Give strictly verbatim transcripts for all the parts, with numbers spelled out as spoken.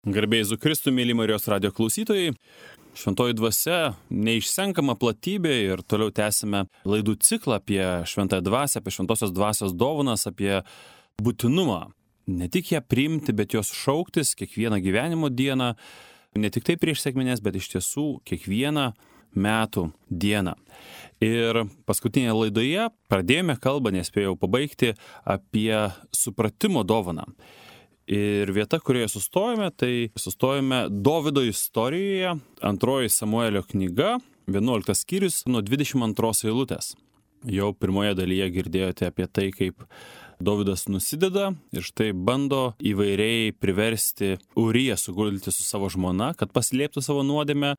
Garbėjai Jėzui Kristui, mėly Marijos radijo klausytojai, šventoji dvasia neišsenkama platybė ir toliau tęsime laidų ciklą apie šventąją dvasią, apie šventosios dvasios dovanas, apie būtinumą. Ne tik ją priimti, bet jos šauktis kiekvieną gyvenimo dieną, ne tik tai prieš sekmines, bet iš tiesų kiekvieną metų dieną. Ir paskutinėje laidoje pradėjome kalbą, nespėjau pabaigti, apie supratimo dovaną. Ir vieta, kurioje sustojame, tai sustojame Dovydo istorijoje, antroji Samuelio knyga, vienuoliktas skyrius nuo dvidešimt antros eilutės. Jau pirmoje dalyje girdėjote apie tai, kaip Dovydas nusideda ir štai bando įvairiai priversti Uriją sugulti su savo žmona, kad paslėptų savo nuodėmę.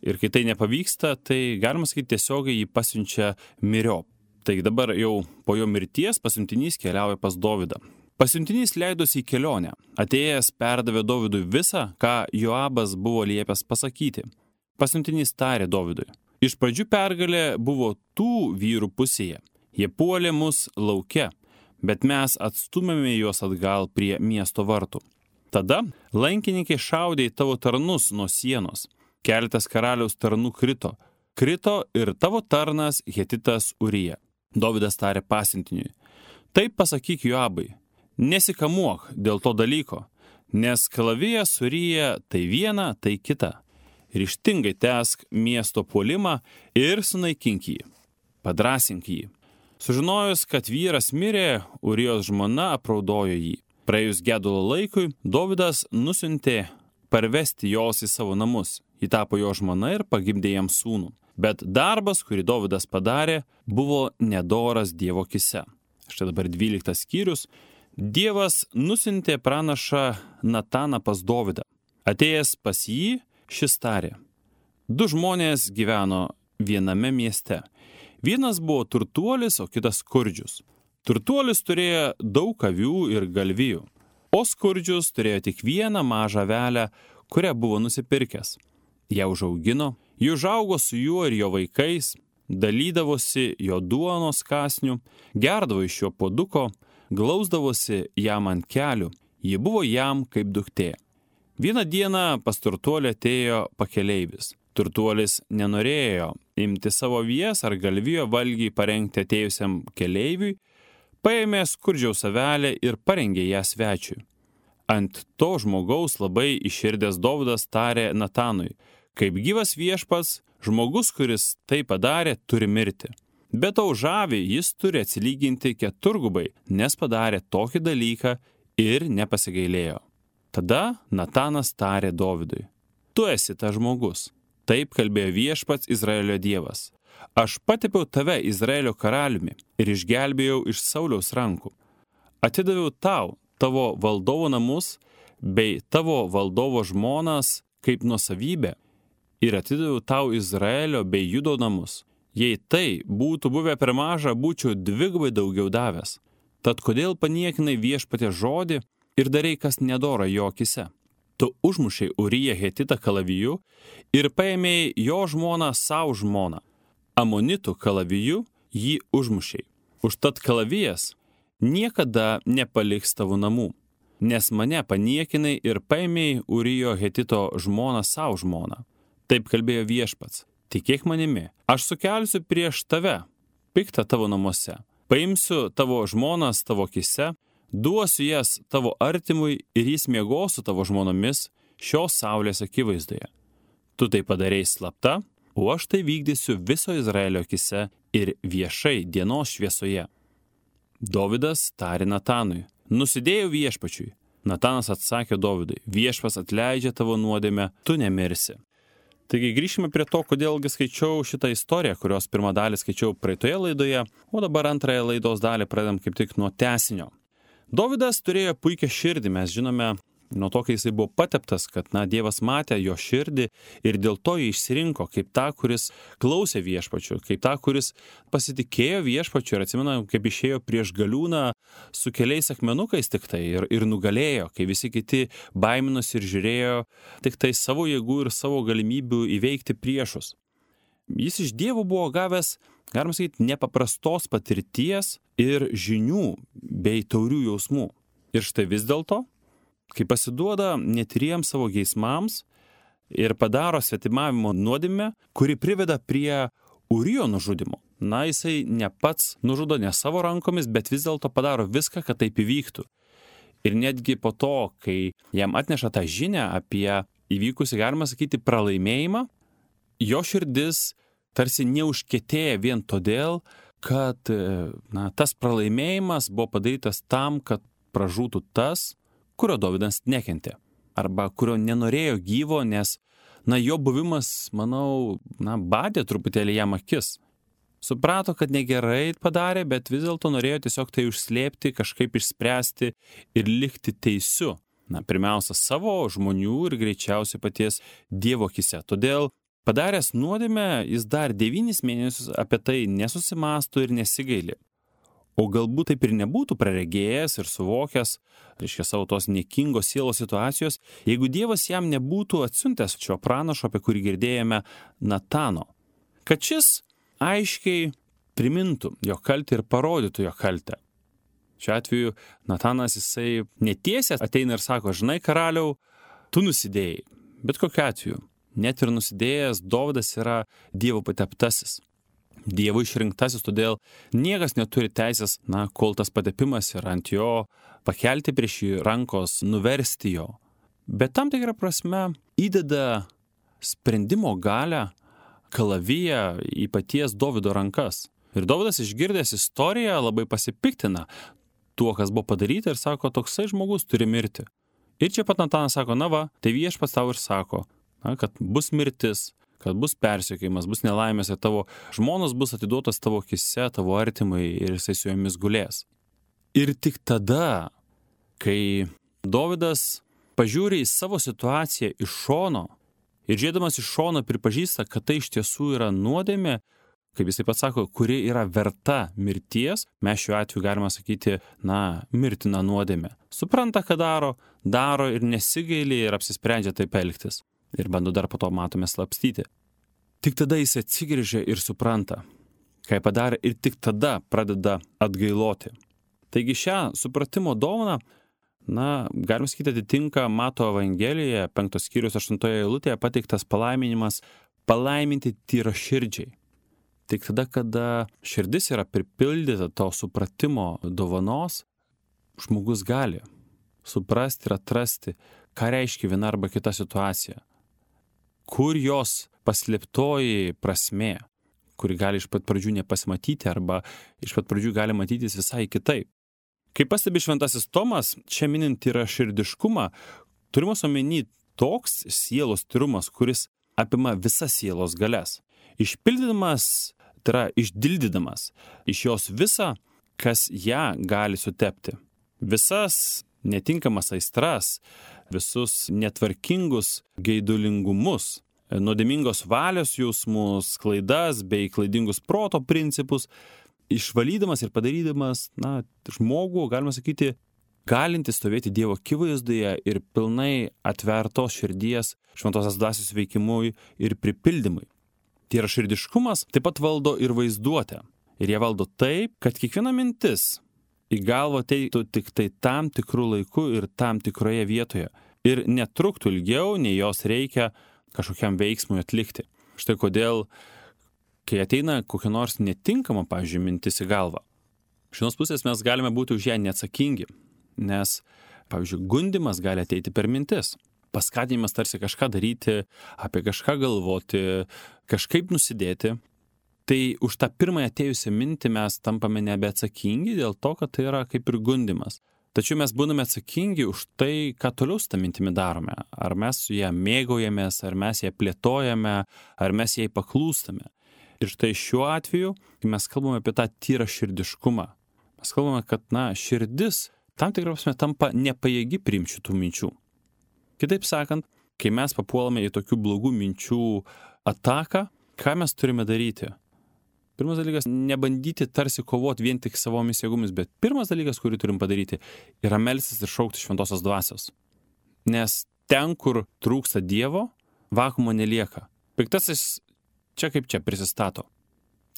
Ir kai tai nepavyksta, tai galima sakyti tiesiogiai jį pasiunčia myriop. Taigi dabar jau po jo mirties pasiuntinys keliauja pas Dovydą. Pasiuntinys leidosi į kelionę. Atėjęs perdavė Dovydui visą, ką Joabas buvo liepęs pasakyti. Pasiuntinys tarė Dovydui: iš pradžių pergalė buvo tų vyrų pusėje. Jie puolė mus lauke, bet mes atstumėme juos atgal prie miesto vartų. Tada lankininkai šaudė į tavo tarnus nuo sienos. Keletas karaliaus tarnų krito. Krito ir tavo tarnas Hetitas Urija. Dovydas tarė pasiuntiniui: taip pasakyk Joabai, nesikamuok dėl to dalyko, nes kalavijas Urija tai viena, tai kita. Ryžtingai tęsk miesto puolimą ir sunaikink jį. Padrąsink jį. Sužinojus, kad vyras mirė, Urijos žmona apraudojo jį. Praėjus gedulo laikui, Dovydas nusiuntė parvesti jos į savo namus. Ji tapo jo žmona ir pagimdė jam sūnų. Bet darbas, kurį Dovydas padarė, buvo nedoras Dievo akyse. Štai dabar dvyliktas skyrius. Dievas nusiuntė pranašą Nataną pas Dovydą. Atėjęs pas jį, šis tarė: du žmonės gyveno viename mieste. Vienas buvo turtuolis, o kitas skurdžius. Turtuolis turėjo daug avių ir galvijų, o skurdžius turėjo tik vieną mažą avelę, kurią buvo nusipirkęs. Ją užaugino, ji užaugo su juo ir jo vaikais, dalydavosi jo duonos kąsniu, gerdavo iš jo puoduko, glausdavosi jam ant kelių, ji buvo jam kaip duktė. Vieną dieną pas turtuolį atėjo pakeleivis. Turtuolis nenorėjo imti savo avies ar galvijo valgiai parengti atėjusiam keleiviui, paėmė skurdžiaus avelę ir parengė ją svečiui. Ant to žmogaus labai įširdęs Dovydas tarė Natanui: kaip gyvas viešpats, žmogus, kuris tai padarė, turi mirti. Bet to už avį jis turi atsilyginti keturgubai, nes padarė tokį dalyką ir nepasigailėjo. Tada Natanas tarė Dovydui: tu esi tas žmogus. Taip kalbėjo viešpats Izraelio Dievas. Aš patepiau tave Izraelio karaliumi ir išgelbėjau iš Sauliaus rankų. Atidaviau tau tavo valdovo namus bei tavo valdovo žmonas kaip nuosavybę ir atidaviau tau Izraelio bei Judo namus. Jei tai būtų buvę per maža, būčiau dvigubai daugiau davęs. Tad kodėl paniekinai viešpaties žodį ir darai, kas nedora jo akyse? Tu užmušei Uriją Hetitą kalaviju ir paėmėjai jo žmoną savo žmoną. Amonitų kalaviju jį užmušei. Užtat kalavijas niekada nepaliks tavo namų, nes mane paniekinai ir paėmėjai Urijo Hetito žmoną savo žmoną. Taip kalbėjo viešpats: tikėk manimi, aš sukelsiu prieš tave piktą tavo namuose. Paimsiu tavo žmonas tavo akyse, duosiu jas tavo artimui ir jis miegos su tavo žmonomis šios saulės akivaizdoje. Tu tai padarei slapta, o aš tai vykdysiu viso Izraelio akyse ir viešai dienos šviesoje. Dovydas tarė Natanui: nusidėjau viešpačiui. Natanas atsakė Dovydui: viešpas atleidžia tavo nuodėmę, tu nemirsi. Taigi grįžime prie to, kodėlgi skaičiau šitą istoriją, kurios pirmą dalį skaičiau praeitoje laidoje, o dabar antrąją laidos dalį pradedam kaip tik nuo tęsinio. Dovydas turėjo puikią širdį, mes žinome nuo to, kai jisai buvo pateptas, kad na, Dievas matė jo širdį ir dėl to jį išsirinko kaip tą, kuris klausė viešpačių, kaip tą, kuris pasitikėjo viešpačių ir atsimena, kaip išėjo prieš galiūną su keliais akmenukais tik tai ir, ir nugalėjo, kai visi kiti baiminosi ir žiūrėjo tik tai savo jėgų ir savo galimybių įveikti priešus. Jis iš Dievo buvo gavęs, galima sakyti, nepaprastos patirties ir žinių bei taurių jausmų. Ir štai vis dėlto kai pasiduoda netyriems savo geismams ir padaro svetimavimo nuodėmę, kuri priveda prie Urijo nužudimo. Na, jisai ne pats nužudo, ne savo rankomis, bet vis dėlto padaro viską, kad taip įvyktų. Ir netgi po to, kai jam atneša tą žinią apie įvykusį, galima sakyti, pralaimėjimą, jo širdis tarsi neužkietėja vien todėl, kad na, tas pralaimėjimas buvo padarytas tam, kad pražūtų tas, kurio Dovydas nekentė. Arba kurio nenorėjo gyvo, nes na, jo buvimas, manau, na, badė truputėlį jam akis. Suprato, kad negerai padarė, bet vis dėlto norėjo tiesiog tai užslėpti, kažkaip išspręsti ir likti teisiu. Na, pirmiausia, savo žmonių ir greičiausiai paties Dievo akise. Todėl padaręs nuodėmę, jis dar devynis mėnesius apie tai nesusimąsto ir nesigaili. O galbūt taip ir nebūtų praregėjęs ir suvokęs, reiškia, savo tos niekingos sielos situacijos, jeigu Dievas jam nebūtų atsiuntęs šio pranašo, apie kurį girdėjome, Natano. Kad šis aiškiai primintų jo kaltę ir parodytų jo kaltę. Šiuo atveju Natanas jisai netiesiai ateina ir sako, žinai, karaliau, tu nusidėjai. Bet kokiu atveju, net ir nusidėjęs, Dovydas yra Dievo pateptasis. Dievo išrinktasis, todėl niekas neturi teisės, na, kol tas patepimas yra ant jo, pakelti prieš jį rankos, nuversti jo. Bet tam tikrą prasme įdeda sprendimo galią, kalaviją į paties Dovydo rankas. Ir Dovydas išgirdęs istoriją labai pasipiktina tuo, kas buvo padaryta ir sako, toksai žmogus turi mirti. Ir čia pat Natanas sako, na va, tai viešpats tau ir sako, na, kad bus mirtis, kad bus persekiojimas, bus nelaimės ir tavo žmonos bus atiduotas tavo akise, tavo artimai ir jisai su jomis gulės. Ir tik tada, kai Dovydas pažiūri į savo situaciją iš šono ir žiūrėdamas iš šono pripažįsta, kad tai iš tiesų yra nuodėmė, kaip jisai pats sako, kuri yra verta mirties, mes šiuo atveju galime sakyti, na, mirtina nuodėmė. Supranta, ką daro, daro ir nesigaili ir apsisprendžia taip elgtis. Ir bando dar po to matome slapstyti. Tik tada jis atsigrįžia ir supranta, ką padarė, ir tik tada pradeda atgailoti. Taigi šią supratimo dovaną, na, galim sakyti, atitinka Mato Evangelijoje, penktos skyrius aštuntoje eilutėje pateiktas palaiminimas palaiminti tyraširdžiai. Tik tada, kada širdis yra pripildyta to supratimo dovanos, žmogus gali suprasti ir atrasti, ką reiškia viena arba kita situacija. Kur jos paslėptoji prasmė, kuri gali iš pat pradžių nepasimatyti arba iš pat pradžių gali matytis visai kitaip. Kaip pastebi šventasis Tomas, čia minint tyraširdiškumą, turimas omeny toks sielos tyrumas, kuris apima visas sielos galias. Išpildydamas, tai yra išdildydamas iš jos visą, kas ją gali sutepti. Visas netinkamas aistras, visus netvarkingus geidulingumus, nuodėmingos valios jausmus, klaidas bei klaidingus proto principus, išvalydamas ir padarydamas, na, žmogų, galima sakyti, galinti stovėti Dievo akivaizdoje ir pilnai atvertos širdies šventosios dvasios veikimui ir pripildymui. Tyraširdiškumas taip pat valdo ir vaizduotę. Ir jie valdo taip, kad kiekviena mintis į galvą ateitų tik tai tam tikrų laikų ir tam tikroje vietoje. Ir netruktų ilgiau, nei jos reikia kažkokiam veiksmui atlikti. Štai kodėl, kai ateina kokia nors netinkama, pavyzdžiui, mintis į galvą, iš vienos pusės mes galime būti už ją neatsakingi, nes, pavyzdžiui, gundymas gali ateiti per mintis. Paskatinimas tarsi kažką daryti, apie kažką galvoti, kažkaip nusidėti. Tai už tą pirmąją atėjusią mintį mes tampame nebeatsakingi dėl to, kad tai yra kaip ir gundymas. Tačiau mes būname atsakingi už tai, ką toliau su tą mintimi darome. Ar mes su ją mėgaujamės, ar mes ją plėtojame, ar mes jai paklūstame. Ir štai šiuo atveju, kai mes kalbame apie tą tyraširdiškumą, mes kalbame, kad, na, širdis tam tikrą prasme tampa nepajėgi priimti šitų minčių. Kitaip sakant, kai mes papuolame į tokių blogų minčių ataką, ką mes turime daryti? Pirmas dalykas, nebandyti tarsi kovoti vien tik savomis jėgomis, bet pirmas dalykas, kurį turim padaryti, yra melstis ir šaukti šventosios dvasios. Nes ten, kur trūksta Dievo, vakumo nelieka. Piktasis čia kaip čia prisistato.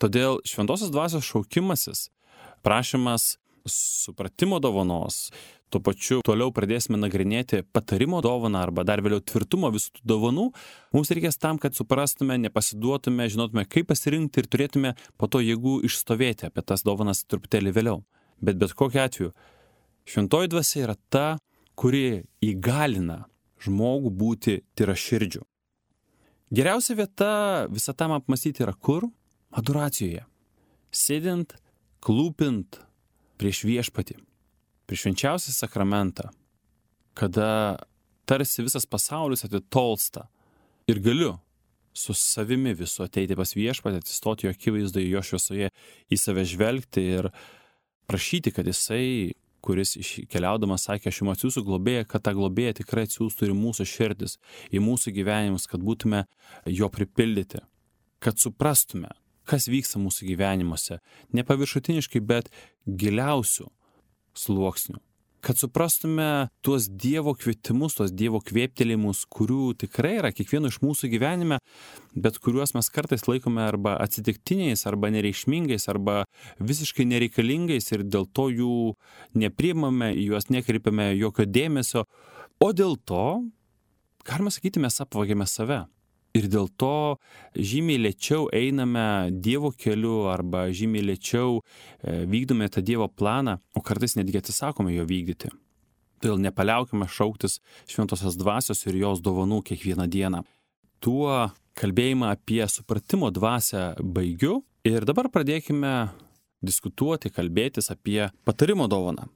Todėl šventosios dvasios šaukimasis, prašymas supratimo dovanos, tuo pačiu toliau pradėsime nagrinėti patarimo dovaną arba dar vėliau tvirtumo visų tų dovanų, mums reikės tam, kad suprastume, nepasiduotume, žinotume, kaip pasirinkti ir turėtume po to jėgų išstovėti apie tas dovanas truputėlį vėliau. Bet bet kokiu atveju, šventoji dvasia yra ta, kuri įgalina žmogų būti tyraširdžiu. Geriausia vieta visą tam apmastyti yra kur? Adoracijoje. Sėdint, klūpint prieš viešpatį, prieš švenčiausią sakramentą, kada tarsi visas pasaulis atitolsta ir galiu su savimi visu ateiti pas viešpatį, atsistoti jo akivaizdoje, jo šviesoje, į save žvelgti ir prašyti, kad jisai, kuris keliaudamas sakė, aš jums atsiųsiu globėją, kad tą globėją tikrai atsiųstų ir mūsų širdis, į mūsų gyvenimus, kad būtume jo pripildyti, kad suprastume, kas vyksta mūsų gyvenimuose, ne paviršutiniškai, bet giliausių sluoksnių. Kad suprastume tuos Dievo kvietimus, tuos Dievo kvėptelėjimus, kurių tikrai yra kiekvieno iš mūsų gyvenime, bet kuriuos mes kartais laikome arba atsitiktiniais, arba nereikšmingais, arba visiškai nereikalingais ir dėl to jų nepriimame, į juos nekreipiame jokio dėmesio, o dėl to, galima sakyti, mes apvagėme save. Ir dėl to žymiai lėčiau einame Dievo keliu arba žymiai lėčiau vykdome tą Dievo planą, o kartais netgi atsisakome jo vykdyti. Todėl nepaliaukime šauktis šventosios dvasios ir jos dovanų kiekvieną dieną. Tuo kalbėjimą apie supratimo dvasią baigiu ir dabar pradėkime diskutuoti, kalbėtis apie patarimo dovaną.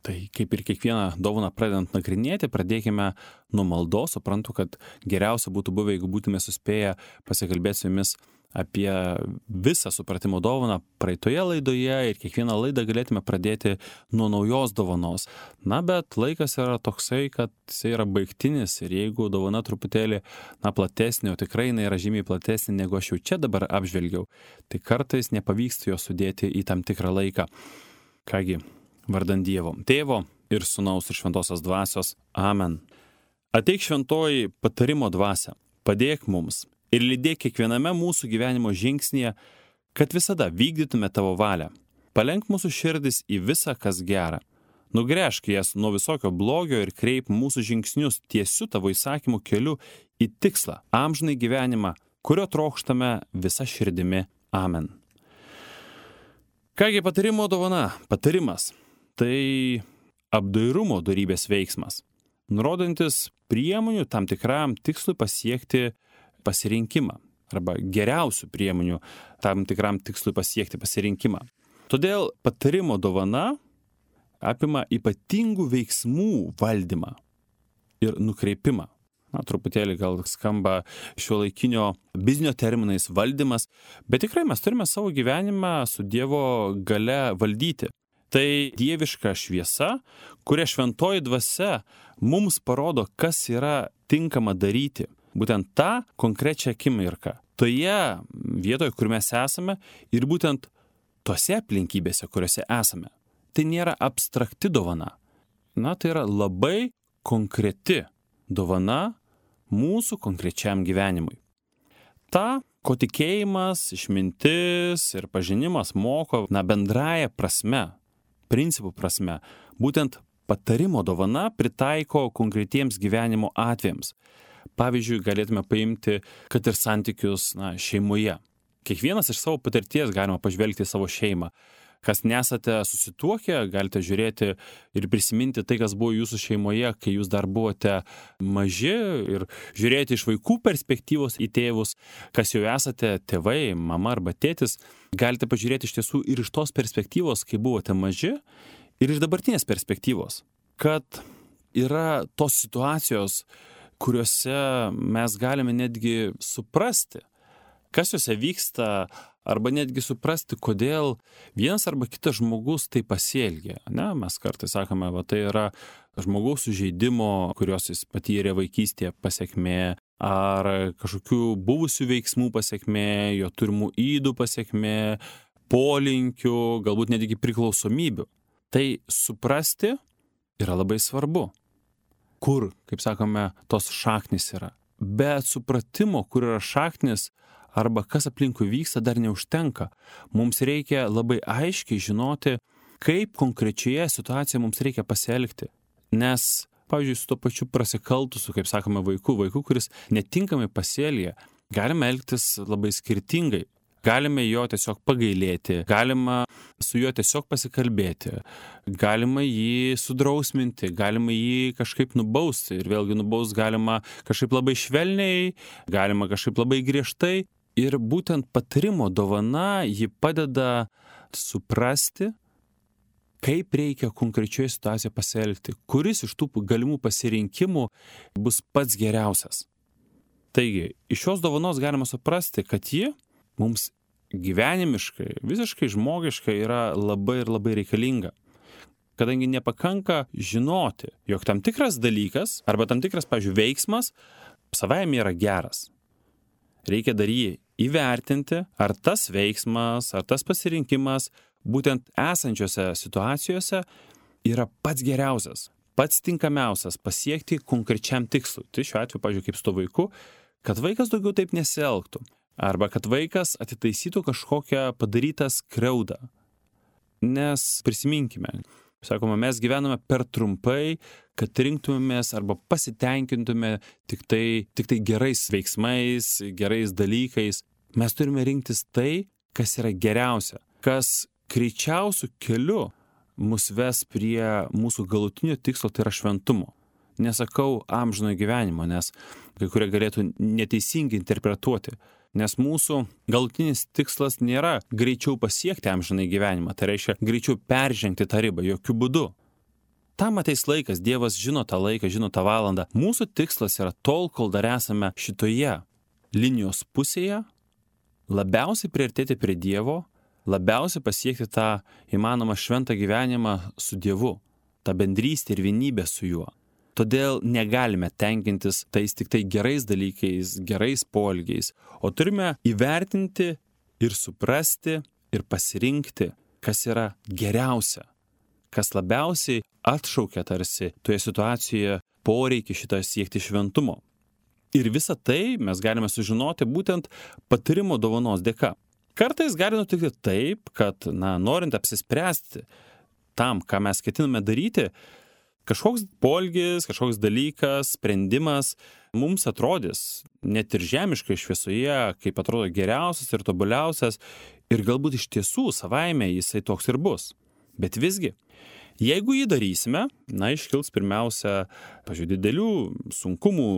Tai kaip ir kiekvieną dovaną pradedant nagrinėti, pradėkime nuo maldos. Suprantu, kad geriausia būtų buvę, jeigu būtume suspėję pasikalbėti su jumis apie visą supratimo dovaną praeitoje laidoje ir kiekvieną laidą galėtume pradėti nuo naujos dovanos. Na, bet laikas yra toksai, kad jis yra baigtinis ir jeigu dovana truputėlį, na, platesnė, o tikrai jinai yra žymiai platesnė, negu aš jau čia dabar apžvelgiau, tai kartais nepavyksta jo sudėti į tam tikrą laiką. Kągi, vardant Dievo, Tėvo ir Sūnaus ir Šventosios dvasios. Amen. Ateik šventoji patarimo dvasia, padėk mums ir lydėk kiekviename mūsų gyvenimo žingsnyje, kad visada vykdytume tavo valią. Palenk mūsų širdis į visą, kas gera. Nugręžk jas nuo visokio blogio ir kreip mūsų žingsnius tiesiu tavo įsakymų keliu į tikslą, amžinai gyvenimą, kurio trokštame visa širdimi. Amen. Kągi patarimo dovana, patarimas. Tai apdairumo dorybės veiksmas, nurodantis priemonių tam tikram tikslui pasiekti pasirinkimą arba geriausių priemonių tam tikram tikslui pasiekti pasirinkimą. Todėl patarimo dovana apima ypatingų veiksmų valdymą ir nukreipimą. Na, truputėlį gal skamba šiuolaikinio biznio terminais valdymas, bet tikrai mes turime savo gyvenimą su Dievo galia valdyti. Tai dieviška šviesa, kuria šventoji dvasia mums parodo, kas yra tinkama daryti. Būtent tą konkrečią akimirką. Toje vietoje, kur mes esame ir būtent tose aplinkybėse, kuriuose esame. Tai nėra abstrakti dovana. Na, tai yra labai konkreti dovana mūsų konkrečiam gyvenimui. Ta, ko tikėjimas, išmintis ir pažinimas moko, na, bendraja prasme, principų prasme, būtent patarimo dovana pritaiko konkretiems gyvenimo atvejams. Pavyzdžiui, galėtume paimti, kad ir santykius, na, šeimoje. Kiekvienas iš savo patirties galima pažvelgti į savo šeimą. Kas nesate susituokę, galite žiūrėti ir prisiminti tai, kas buvo jūsų šeimoje, kai jūs dar buvote maži ir žiūrėti iš vaikų perspektyvos į tėvus, kas jau esate tėvai, mama arba tėtis, galite pažiūrėti iš tiesų ir iš tos perspektyvos, kai buvote maži, ir iš dabartinės perspektyvos, kad yra tos situacijos, kuriuose mes galime netgi suprasti, kas juose vyksta, arba netgi suprasti, kodėl vienas arba kitas žmogus tai pasielgia. Ne? Mes kartais sakome, va, tai yra žmogaus sužeidimo, kurios jis patyrė vaikystėje pasekmė, ar kažkokių buvusių veiksmų pasekmė, jo turimų ydų pasekmė, polinkių, galbūt netgi priklausomybių. Tai suprasti yra labai svarbu. Kur, kaip sakome, tos šaknys yra. Bet supratimo, kur yra šaknis, arba kas aplinkui vyksta, dar neužtenka. Mums reikia labai aiškiai žinoti, kaip konkrečioje situacijoje mums reikia pasielgti. Nes, pavyzdžiui, su to pačiu prasikaltusiu, kaip sakome, vaiku, vaiku, kuris netinkamai pasielgia, galime elgtis labai skirtingai. Galime jo tiesiog pagailėti, galima su juo tiesiog pasikalbėti, galima jį sudrausminti, galima jį kažkaip nubausti ir vėlgi nubaus galima kažkaip labai švelniai, galima kažkaip labai griežtai. Ir būtent patarimo dovana jį padeda suprasti, kaip reikia konkrečioje situacijoje pasielgti, kuris iš tų galimų pasirinkimų bus pats geriausias. Taigi, iš šios dovanos galima suprasti, kad ji mums gyvenimiškai, visiškai žmogiškai yra labai ir labai reikalinga. Kadangi nepakanka žinoti, jog tam tikras dalykas arba tam tikras, pavyzdžiui, veiksmas savaime yra geras. Reikia dar jį įvertinti, ar tas veiksmas, ar tas pasirinkimas būtent esančiose situacijose yra pats geriausias, pats tinkamiausias pasiekti konkrečiam tikslui. Tai šiuo atveju, pavyzdžiui, kaip su to vaiku, kad vaikas daugiau taip nesielgtų. Arba kad vaikas atitaisytų kažkokią padarytą skriaudą. Nes prisiminkime, sakoma, mes gyvename per trumpai, kad rinktumėmės arba pasitenkintume tik tai, tik tai gerais veiksmais, gerais dalykais. Mes turime rinktis tai, kas yra geriausia, kas greičiausiu keliu mus ves prie mūsų galutinio tikslo, tai yra šventumo. Nesakau amžinojo gyvenimo, nes kai kurie galėtų neteisingai interpretuoti. Nes mūsų galutinis tikslas nėra greičiau pasiekti amžinai gyvenimą, tai reiškia greičiau peržengti tą ribą, jokių būdų. Tam ateis laikas, Dievas žino tą laiką, žino tą valandą. Mūsų tikslas yra tol, kol dar esame šitoje linijos pusėje, labiausiai priartėti prie Dievo, labiausiai pasiekti tą įmanomą šventą gyvenimą su Dievu, tą bendrystę ir vienybę su Juo. Todėl negalime tenkintis tais tik tai gerais dalykais, gerais poelgiais, o turime įvertinti ir suprasti ir pasirinkti, kas yra geriausia, kas labiausiai atšaukia tarsi toje situacijoje poreikį šitą siekti šventumo. Ir visą tai mes galime sužinoti būtent patarimo dovanos dėka. Kartais gali nutikti taip, kad, na, norint apsispręsti tam, ką mes ketiname daryti, kažkoks poelgis, kažkoks dalykas, sprendimas mums atrodys net ir žemiškai šviesoje, kaip atrodo geriausias ir tobuliausias, ir galbūt iš tiesų savaime jisai toks ir bus. Bet visgi, jeigu jį darysime, na, iškils pirmiausia, pažiūrėjau, didelių sunkumų,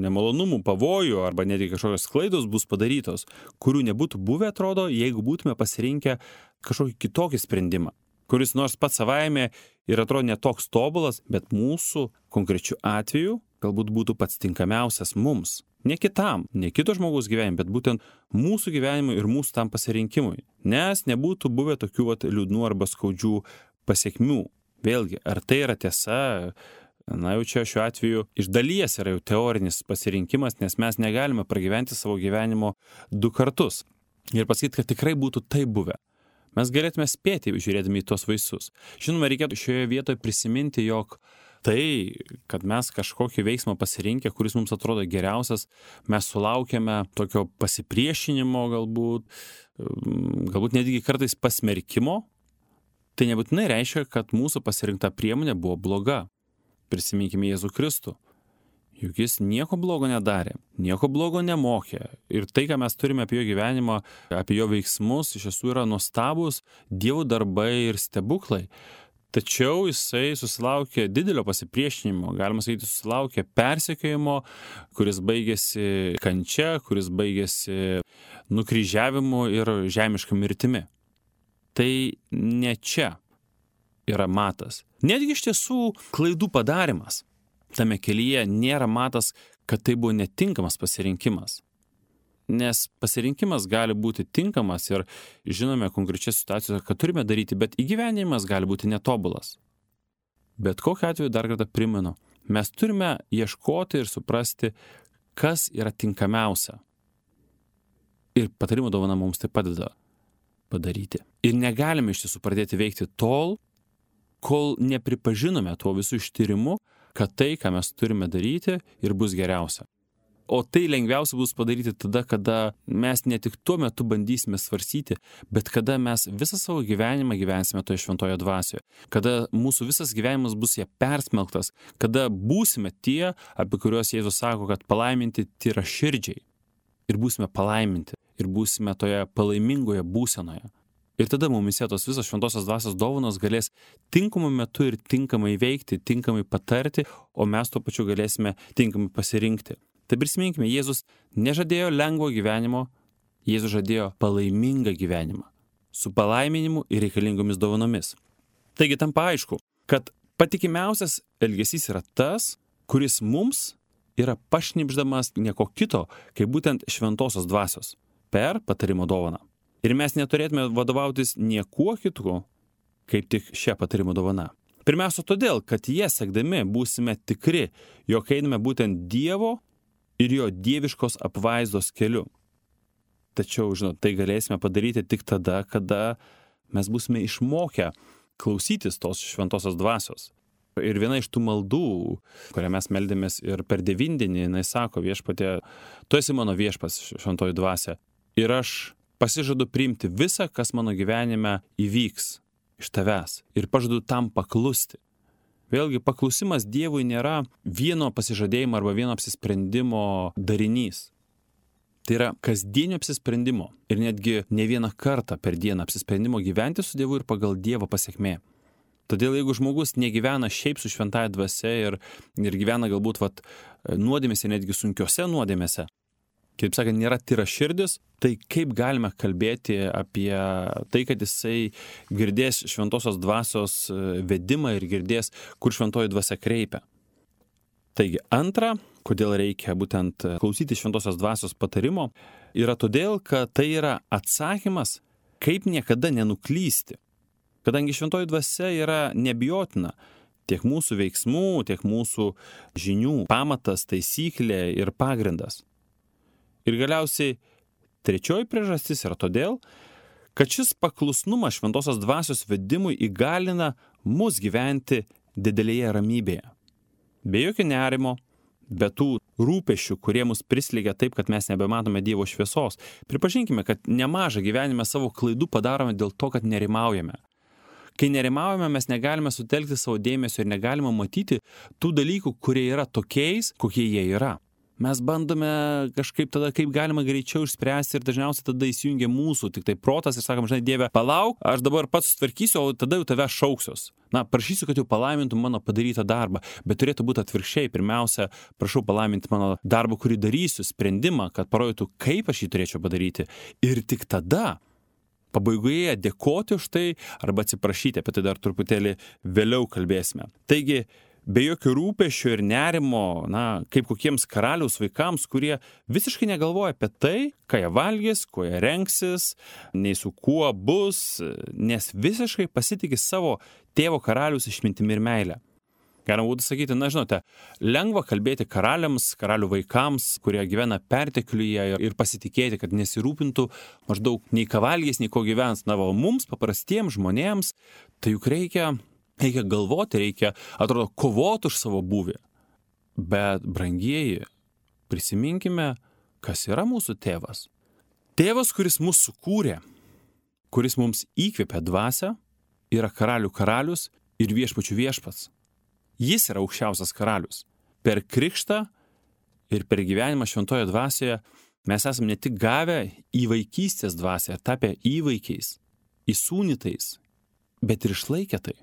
nemalonumų, pavojų arba netgi kažkokios klaidos bus padarytos, kurių nebūtų buvę, atrodo, jeigu būtume pasirinkę kažkokį kitokį sprendimą, kuris nors pats savaime ir atrodo netoks tobulas, bet mūsų konkrečiu atveju galbūt būtų pats tinkamiausias mums. Ne kitam, ne kito žmogaus gyvenimui, bet būtent mūsų gyvenimui ir mūsų tam pasirinkimui. Nes nebūtų buvę tokių vat, liūdnų arba skaudžių pasiekmių. Vėlgi, ar tai yra tiesa? Na jau čia šiuo atveju iš dalies yra jau teorinis pasirinkimas, nes mes negalime pragyventi savo gyvenimo du kartus. Ir pasakyti, kad tikrai būtų tai buvę. Mes galėtume spėti, žiūrėdami į tos vaisius. Žinoma, reikėtų šioje vietoje prisiminti, jog tai, kad mes kažkokį veiksmą pasirinkę, kuris mums atrodo geriausias, mes sulaukėme tokio pasipriešinimo galbūt, galbūt netgi kartais pasmerkimo, tai nebūtinai reiškia, kad mūsų pasirinkta priemonė buvo bloga. Prisiminkime Jėzų Kristų. Juk jis nieko blogo nedarė, nieko blogo nemokė. Ir tai, ką mes turime apie jo gyvenimą, apie jo veiksmus, iš tiesų yra nuostabus Dievo darbai ir stebuklai. Tačiau jisai susilaukė didelio pasipriešinimo, galima sakyti, susilaukė persekiojimo, kuris baigėsi kančia, kuris baigėsi nukryžiavimu ir žemiška mirtimi. Tai ne čia yra matas. Netgi iš tiesų klaidų padarimas tame kelyje nėra matas, kad tai buvo netinkamas pasirinkimas. Nes pasirinkimas gali būti tinkamas ir žinome konkrečias situacijas, kad turime daryti, bet įgyvenimas gali būti netobulas. Bet kokiu atveju dar kartą primenu, mes turime ieškoti ir suprasti, kas yra tinkamiausia. Ir patarimo dovana mums tai padeda padaryti. Ir negalime iš tiesų pradėti veikti tol, kol nepripažinome tuo visų ištyrimu, kad tai, ką mes turime daryti, ir bus geriausia. o tai lengviausia bus padaryti tada, kada mes ne tik tuo metu bandysime svarstyti, bet kada mes visą savo gyvenimą gyvensime toje šventoje dvasioje, kada mūsų visas gyvenimas bus ją persmelktas, kada būsime tie, apie kuriuos Jėzus sako, kad palaiminti tyra širdžiai. Ir būsime palaiminti, ir būsime toje palaimingoje būsenoje. Ir tada mumise tos visos šventosios dvasios dovanos galės tinkamu metu ir tinkamai veikti, tinkamai patarti, o mes tuo pačiu galėsime tinkamai pasirinkti. Tai prisiminkime, Jėzus nežadėjo lengvo gyvenimo, Jėzus žadėjo palaimingą gyvenimą, su palaiminimu ir reikalingomis dovanomis. Taigi tampa aišku, kad patikimiausias elgesys yra tas, kuris mums yra pašnibždamas nieko kito, kaip būtent šventosios dvasios per patarimo dovaną. Ir mes neturėtume vadovautis niekuo kitu, kaip tik šią patarimo dovaną. Pirmiausia todėl, kad jie sekdami būsime tikri, jog einame būtent Dievo ir jo dieviškos apvaizdos keliu. Tačiau, žinot, tai galėsime padaryti tik tada, kada mes būsime išmokę klausytis tos šventosios dvasios. Ir viena iš tų maldų, kurią mes meldėmės ir per devindienį, jinai sako Viešpatie, tu esi mano viešpas, šventoji dvasia, ir aš pasižadu priimti visą, kas mano gyvenime įvyks iš tavęs ir pažadu tam paklusti. Vėlgi, paklusimas Dievui nėra vieno pasižadėjimo arba vieno apsisprendimo darinys. Tai yra kasdienio apsisprendimo ir netgi ne vieną kartą per dieną apsisprendimo gyventi su Dievu ir pagal Dievo pasekmė. Todėl jeigu žmogus negyvena šiaip su šventąja dvasia ir, ir gyvena galbūt vat, nuodėmėse, netgi sunkiose nuodėmėse, kaip sakant, nėra tyra širdis, tai kaip galime kalbėti apie tai, kad jisai girdės šventosios dvasios vedimą ir girdės, kur šventoji dvasia kreipia. Taigi, antra, kodėl reikia būtent klausyti šventosios dvasios patarimo, yra todėl, kad tai yra atsakymas, kaip niekada nenuklysti. Kadangi šventoji dvasia yra nebijotina, tiek mūsų veiksmų, tiek mūsų žinių pamatas, taisyklė ir pagrindas. Ir galiausiai trečioji priežastis yra todėl, kad šis paklusnumas šventosios dvasios vedimui įgalina mus gyventi didelėje ramybėje. Be jokio nerimo, be tų rūpesčių, kurie mus prislėgia taip, kad mes nebematome Dievo šviesos. Pripažinkime, kad nemažą gyvenime savo klaidų padarome dėl to, kad nerimaujame. Kai nerimaujame, mes negalime sutelkti savo dėmesio ir negalime matyti tų dalykų, kurie yra tokiais, kokie jie yra. Mes bandome kažkaip tada, kaip galima greičiau išspręsti ir dažniausiai tada įsijungia mūsų tik tai protas ir sakom, žinai, Dieve, palauk, aš dabar pats sutvarkysiu, o tada jau tave šauksiuos. Na, prašysiu, kad jau palaimintum mano padarytą darbą, bet turėtų būti atvirkščiai. Pirmiausia, prašau palaiminti mano darbą, kurį darysiu, sprendimą, kad parodytų, kaip aš jį turėčiau padaryti. Ir tik tada pabaigoje dėkoti už tai arba atsiprašyti, apie tai dar truputėlį vėliau kalbėsime. Taigi, be jokio rūpesčio ir nerimo, na, kaip kokiems karaliaus vaikams, kurie visiškai negalvoja apie tai, ką jie valgys, kuo jie rengsis, nei su kuo bus, nes visiškai pasitikė savo tėvo karaliaus išmintimi ir meilę. Galima būtų sakyti, na, žinote, lengva kalbėti karaliams, karalių vaikams, kurie gyvena pertekliuje ir pasitikėti, kad nesirūpintų maždaug nei ką valgys, nei ko gyvens. Na, o mums, paprastiems žmonėms, tai juk reikia Reikia galvoti, reikia, atrodo, kovoti už savo būvį. Bet, brangieji, prisiminkime, kas yra mūsų tėvas. Tėvas, kuris mus sukūrė, kuris mums įkvėpė dvasią, yra karalių karalius ir viešpačių viešpats. Jis yra aukščiausias karalius. Per krikštą ir per gyvenimą šventoje dvasioje mes esame ne tik gavę į vaikystės dvasią ir tapę įvaikiais, įsūnytais, bet ir išlaikę tai.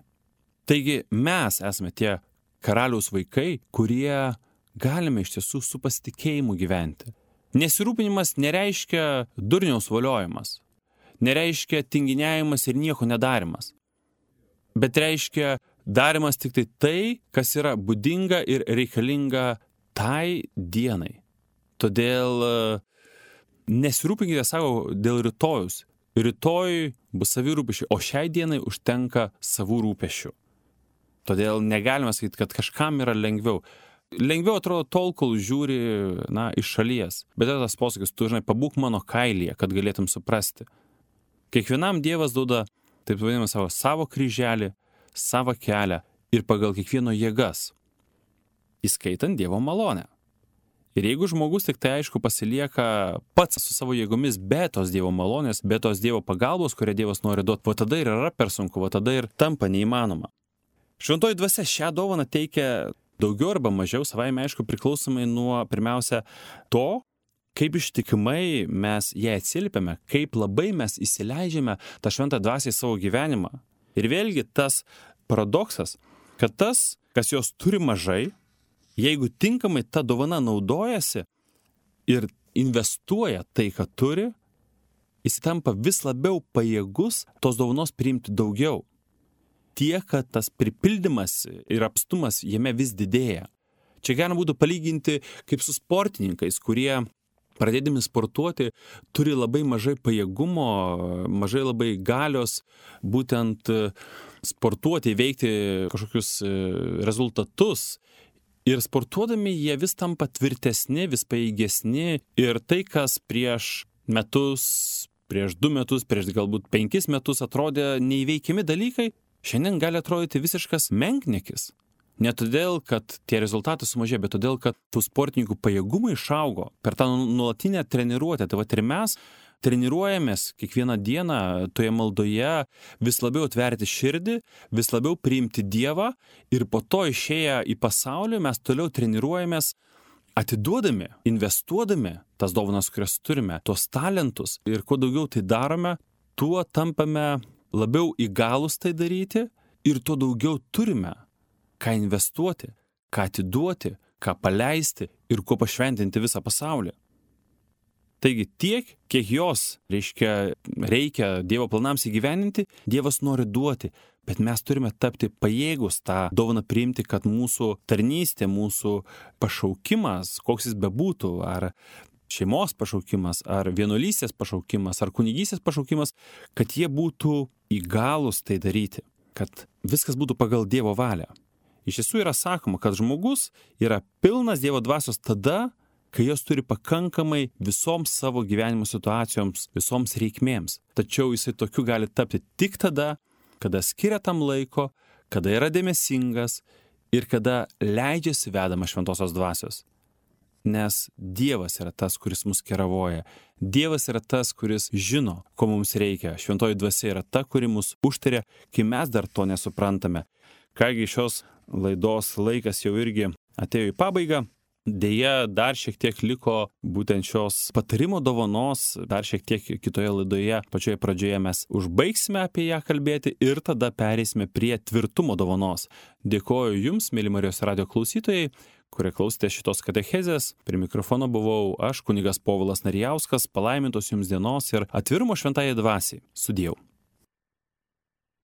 Taigi mes esame tie karaliaus vaikai, kurie galime iš tiesų su pasitikėjimu gyventi. Nesirūpinimas nereiškia durniaus voliojimas, nereiškia tinginiavimas ir nieko nedarimas, bet reiškia darimas tik tai tai, kas yra būdinga ir reikalinga tai dienai. Todėl nesirūpinkite savo dėl rytojus. Rytoj bus savi rūpešiai, o šiai dienai užtenka savų rūpešių. Todėl negalime sakyti, kad kažkam yra lengviau. Lengviau atrodo tol, kol žiūri, na, iš šalies. Bet yra tas posakis, tu, žinai, pabūk mano kailyje, kad galėtum suprasti. Kiekvienam Dievas duoda, taip vadinamą, savo, savo kryželį, savo kelią ir pagal kiekvieno jėgas, įskaitant Dievo malonę. Ir jeigu žmogus tik tai aišku pasilieka pats su savo jėgomis be tos Dievo malonės, be tos Dievo pagalbos, kurią Dievas nori duoti, va tada ir yra per sunku, va tada ir tampa neįmanoma. Šventoji dvasia šią dovaną teikia daugiau arba mažiau, savaime aišku, priklausomai nuo pirmiausia to, kaip ištikimai mes ją atsiliepiame, kaip labai mes įsileidžiame tą šventą dvasią į savo gyvenimą. Ir vėlgi tas paradoksas, kad tas, kas jos turi mažai, jeigu tinkamai ta dovana naudojasi ir investuoja tai, ką turi, jis tampa vis labiau pajėgus tos dovanos priimti daugiau. Tiek, kad tas pripildymas ir apstumas jame vis didėja. Čia galima būtų palyginti kaip su sportininkais, kurie pradėdami sportuoti turi labai mažai pajėgumo, mažai labai galios būtent sportuoti, įveikti kažkokius rezultatus. Ir sportuodami jie vis tampa tvirtesni, vis pajėgesni ir tai, kas prieš metus, prieš du metus, prieš galbūt penkis metus atrodė neįveikiami dalykai, šiandien gali atrodyti visiškas menkniekis. Ne todėl, kad tie rezultatai sumažėjo, bet todėl, kad tų sportininkų pajėgumai išaugo per tą nuolatinę treniruotę. Tai va ir mes treniruojamės kiekvieną dieną toje maldoje vis labiau atverti širdį, vis labiau priimti Dievą ir po to išėję į pasaulį mes toliau treniruojamės atiduodami, investuodami tas dovanas, kurias turime, tuos talentus. Ir kuo daugiau tai darome, tuo tampame labiau įgalus tai daryti ir tuo daugiau turime ką investuoti, ką atiduoti, ką paleisti ir kuo pašventinti visą pasaulį. Taigi tiek, kiek jos, reiškia, reikia Dievo planams įgyveninti, Dievas nori duoti, bet mes turime tapti pajėgus tą dovaną priimti, kad mūsų tarnystė, mūsų pašaukimas, koks jis bebūtų, ar šeimos pašaukimas, ar vienuolystės pašaukimas, ar kunigystės pašaukimas, kad jie būtų įgalūs tai daryti, kad viskas būtų pagal Dievo valią. Iš tiesų yra sakoma, kad žmogus yra pilnas Dievo dvasios tada, kai jos turi pakankamai visoms savo gyvenimo situacijoms, visoms reikmėms. Tačiau jisai tokiu gali tapti tik tada, kada skiria tam laiko, kada yra dėmesingas ir kada leidžiasi vedama šventosios dvasios. Nes Dievas yra tas, kuris mus keravoja. Dievas yra tas, kuris žino, ko mums reikia. Šventoji dvasia yra ta, kuri mus užtaria, kai mes dar to nesuprantame. Kągi šios laidos laikas jau irgi atėjo į pabaigą. Deja, dar šiek tiek liko būtent šios patarimo dovanos, dar šiek tiek kitoje laidoje, pačioje pradžioje mes užbaigsime apie ją kalbėti ir tada pereisime prie tvirtumo dovanos. Dėkoju Jums, mėly Marijos radijo klausytojai, kurie klausėte šitos katechezės. Prie mikrofono buvau aš, kunigas Povilas Narijauskas, palaimintos Jums dienos ir atvirumo šventajai dvasiai. Sudiev.